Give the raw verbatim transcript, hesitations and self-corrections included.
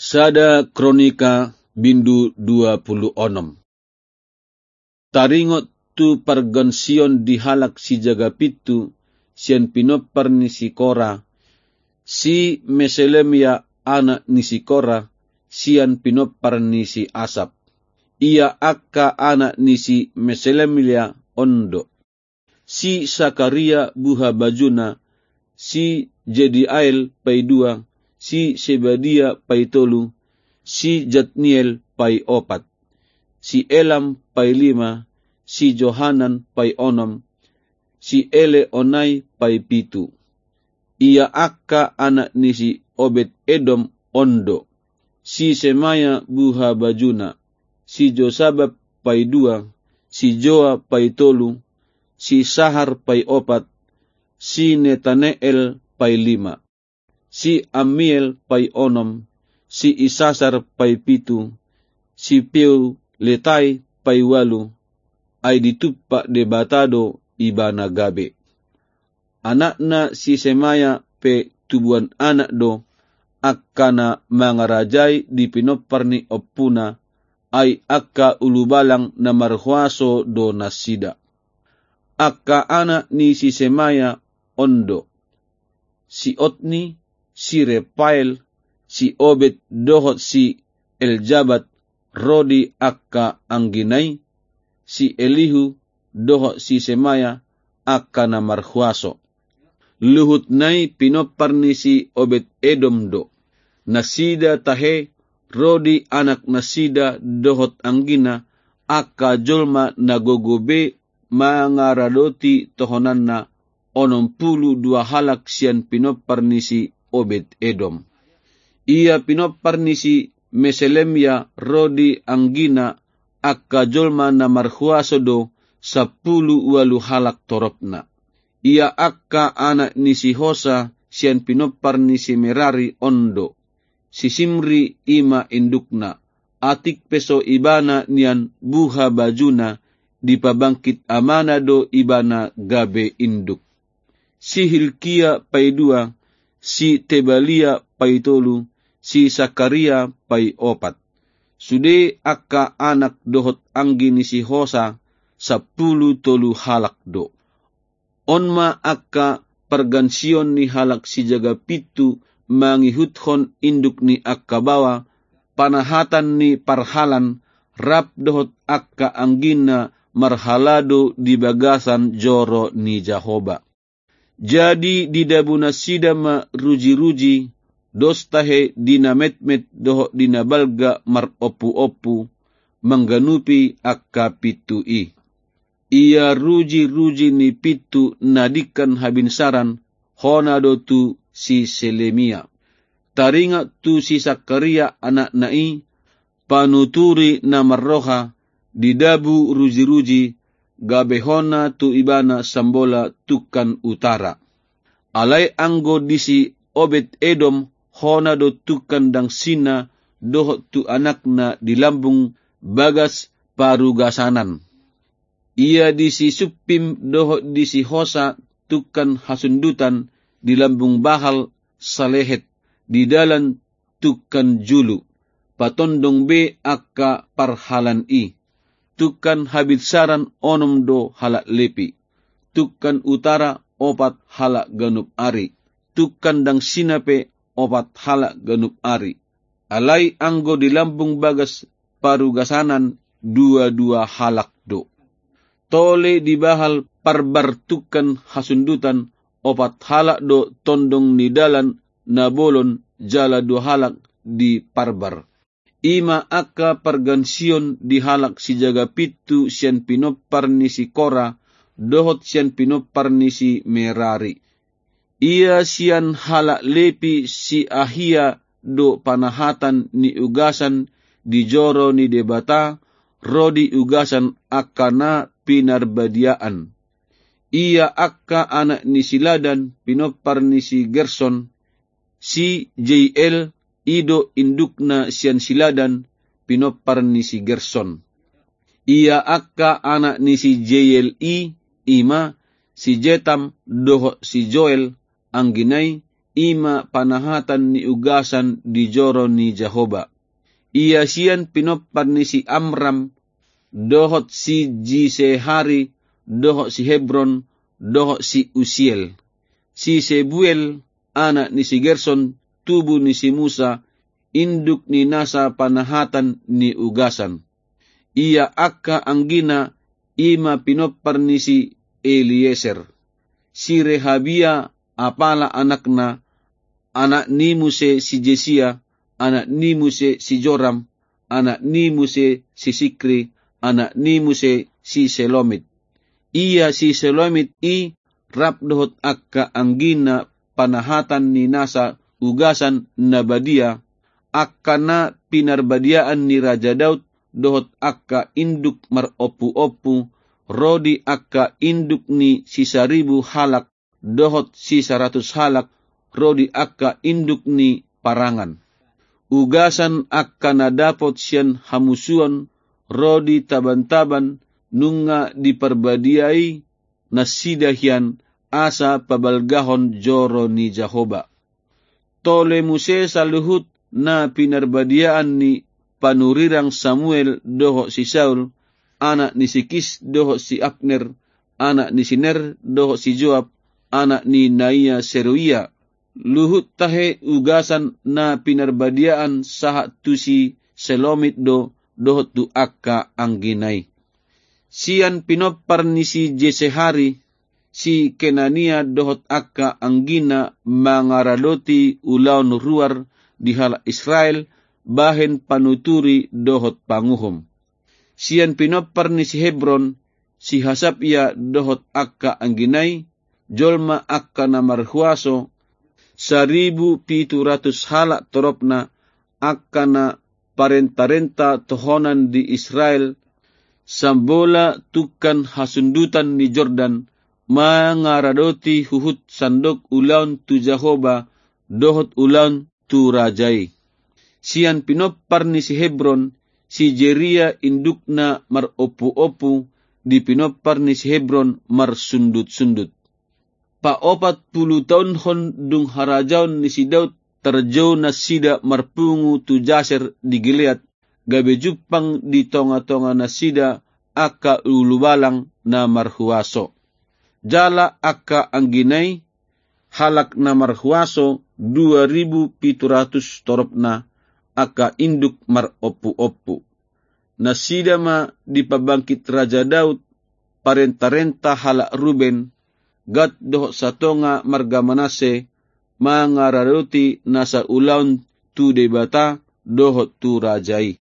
Sada Kronika bindu dua pulu onom. Taringot tu pargansion di halak sijaga pitu sian pinompar ni si Kora, si Meselemia anak ni si Kora, sian pinompar ni si Asap. Ia angka anak ni si Meselemia on do: si Sakaria buhabajuna, si Jediael paidua, si Sebadia paitolu, si Jatniel paiopat, si Elam pailima, si Johanan paionom, si Eleonai paipitu. Ia angka anak ni si Obed Edom on do: si Semaya buhabajuna, si Josabad paidua, si Joa paitolu, si Sahar paiopat, si Netaneel pailima, si Amiel paionom, si Isasar paipitu, si Peuletai paiualu, ai ditumpak Debata do ibana gabe. Anakna si Semaya pe tubuan anak do, angka na mangarajai di pinompar ni ompuna, ai angka ulubalang na marhuaso do nasida. Angka anak ni si Semaya on do: si Otni, si Repael, si Obed dohot si Eljabad, ro di angka anggina i, si Elihu dohot si Semaya, angka na marhuaso. Luhutna i pinompar ni si Obed Edom do. Nasida tahe ro di anaknasida dohot anggina, angka jolma na gogo be mangaradoti tohonanna, onom pulu dua halak sian pinompar ni si Obed Edom. Ia pinompar ni si Meselemia ro di anggina, angka jolma na marhuaso do, sampulu ualu halak toropna. Ia angka anak ni si Hosa sian pinompar ni si Merari on do: si Simri, i ma indukna, atik pe so ibana nian buhabajuna, dipabangkit amana do ibana gabe induk. Si Hilkia paidua, si Tebalia paitolu, si Sakaria paiopat. Sude angka anak dohot anggi ni si Hosa, sampulu tolu halak do. On ma angka pargansion ni halak sijaga pitu mangihuthon induk ni angka baoa, panahatan ni parhalaan, rap dohot angka anggina marhalado di bagasan joro ni Jahowa. Jadi didabunasida ma rujiruji, dos tahe di na metmet dohot di na balga marompuompu, mangganupi angka pintu i. Ia rujiruji ni pintu na dingkan habinsaran, hona do tu si Selemia. Taringot tu si Sakaria anakna i, panuturi na marroha, didabu rujiruji, gabe hona tu ibana sambola tungkan utara. Alai anggo di si Obed Edom, hona do tungkan dangsina dohot tu anakna di lambung bagas parugasanan. Ia di si Suppim dohot di si Hosa tungkan hasundutan di lambung bahal salehet, di dalan tungkan julu, patondong be angka parhalaan i. Tungkan habinsaran onom do halak Lepi. Tungkan utara opat halak ganup ari. Tungkan dangsina pe opat halak ganup ari. Alai anggo di lambung bagas parugasanan duadua halak do. Tole di bahal parbar tungkan hasundutan opat halak do tondong ni dalan na bolon jala dua halak di parbar. I ma angka pargansion di halak sijaga pintu sian pinompar ni si Kora, dohot sian pinompar ni si Merari. Ia sian halak Lepi si Ahia do panahatan ni ugasan di joro ni Debata, ro di ugasan angka na pinarbadiaan. Ia angka anak ni si Ladan, pinompar ni si Gerson, si Jeiel, i do indukna sian si Ladan, pinompar ni si Gerson. Ia angka anak ni si Jeiel i, i ma si Jetam dohot si Joel, anggina i, i ma panahatan ni ugasan di joro ni Jahowa. Ia sian pinompar ni si Amram, dohot si Jisehari, dohot si Hebron, dohot si Usiel. Si Sebuel, anak ni si Gerson, tubu ni si Musa, induk ni nasa panahatan ni ugasan. Ia angka anggina i ma pinompar ni si Elieser. Si Rehabia apala anakna, anak ni muse si Jesia, anak ni muse si Joram, anak ni muse si Sikri, anak ni muse si Selomit. Ia si Selomit i rap dohot angka anggina panahatan ni nasa ugasan na badia, angka na pinarbadiaan ni Raja Daud, dohot angka induk marompuompu, ro di angka induk ni sisaribu halak, dohot sisaratus halak, ro di angka induk ni parangan. Ugasan angka na dapot sian hamusuon, ro di tabantaban, nunga diparbadiai nasida hian asa pabalgahon joro ni Jahowa. Tole muse saluhut na pinarbadiaan ni panurirang Samuel dohot si Saul, anak ni si Kis dohot si Abner, anak ni si Ner dohot si Joab, anak ni naia Seruia. Luhut tahe ugasan na pinarbadiaan sahat tu si Selomit do, dohot tu angka anggina i. Sian pinompar ni si Jesehari, si Kenania dohot angka anggina mangaradoti ulaon ruar di halak Israel, bahen panuturi dohot panguhum. Sian pinompar ni si Hebron, si Hasabia dohot angka anggina i, jolma angka na marhuaso, saribu pitu ratus halak toropna, angka na parentarenta tohonan di Israel, sambola tungkan hasundutan ni Jordan, mangaradoti huhut sandok ulaon tu Jahowa, dohot ulaon tu raja i. Sian pinompar ni si Hebron, si Jeria indukna marompuompu, di pinompar ni si Hebron marsundutsundut. Paopat pulu taon hon dung harajaon ni si Daud, tarjou nasida marpungu tu Jaser di Gilead, gabe jumpang di tongatonganasida angka ulubalang na marhuaso. Jala angka anggina i, halak na marhuaso dua ribu pitu ratus toropna, angka induk marompuompu. Nasida ma dipabangkit Raja Daud, parentarenta halak Ruben, Gad dohot satonga marga Manasse, mangaradoti nasa ulaon tu Debata dohot tu raja i.